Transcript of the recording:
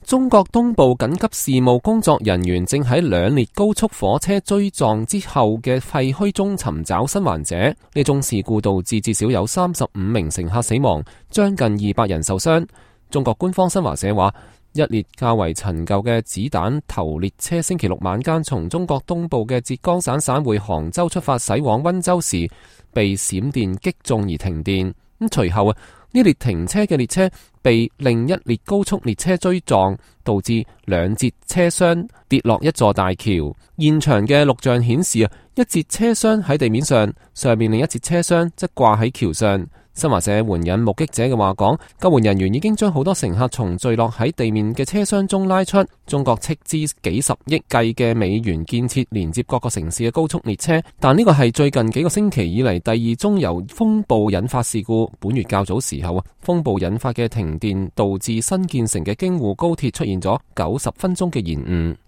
中國東部緊急事務工作人員正喺兩列高速火車追撞之後嘅廢墟中尋找生還者。呢宗事故導致至少有35名乘客死亡，將近200人受傷。中國官方新華社話，一列較為陳舊嘅子彈頭列車星期六晚間從中國東部嘅浙江省省會杭州出發駛往溫州時，被閃電擊中而停電。隨後呢列停車嘅列車被另一列高速列車追撞，導致兩節車廂跌落一座大橋。現場嘅錄像顯示一節車廂喺地面上，上面另一節車廂則掛喺橋上。新華社援引目擊者嘅話講，救援人員已經將好多乘客從墜落喺地面嘅車廂中拉出。中國斥資幾十億計嘅美元建設連接各個城市嘅高速列車，但呢個係最近幾個星期以嚟第2宗由風暴引發事故。本月較早時候風暴引發嘅停電導致新建成嘅京滬高鐵出現咗90分鐘嘅延誤。